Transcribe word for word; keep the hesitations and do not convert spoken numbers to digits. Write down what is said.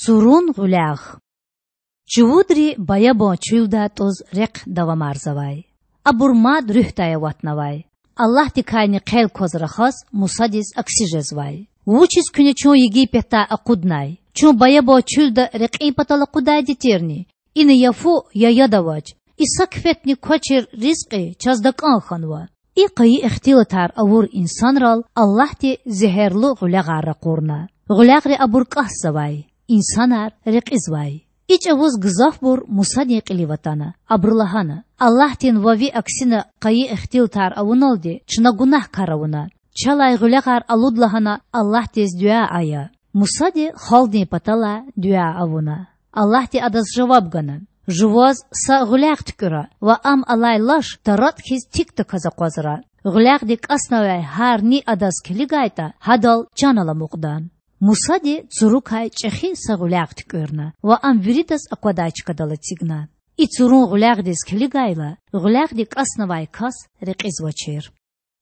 Цурун гъуьлягъ. Чувудри баябан чуьлдай тІуз рехъ давамарзавай. Абур мад руьгьдай аватнавай. Аллагьдикайни хъел кваз рахаз, Мусадиз акси жезвай: Вучиз куьне чун Египетдай акъуднай? Чун баябан чуьлда рекьин патал акъудайди тирни? Ина я фу, я яд авач. И са кифетни квачир ризкьи чаз такІан хьанва. И къайи ихтилатар авур инсанрал Аллагьди зегьерлу гъуьлягъар ракъурна. Гъуьлягъри абур кІасзавай, инсанар рекьизвай. И чІавуз гзафбур Мусадин кьилив атана. Абуру лагьана: Аллагьдин ва ви аксина къайи ихтилатар авуналди чна гунагькар авуна. Чалай гъуьлягъар алуд лагьана Аллагьдиз дуьа ая. Мусади халкьдин паталай дуьа авуна. Аллагьди адаз жаваб гана: Жуваз са гъуьлягъ туькІуьра ва ам алай лаш таратІ хьиз тикдаказ акъвазра. Гъуьлягъди кІаснавай гьар ни адаз килигайтІа, гьадал чан аламукьда. Мусади цурукай чІехи са гъуьлягъ туькІуьрна ва ам виридаз аквадай чкадал эцигна. И цурун гъуьлягъдиз килигайла, гъуьлягъди кІаснавай кас рекьизвачир.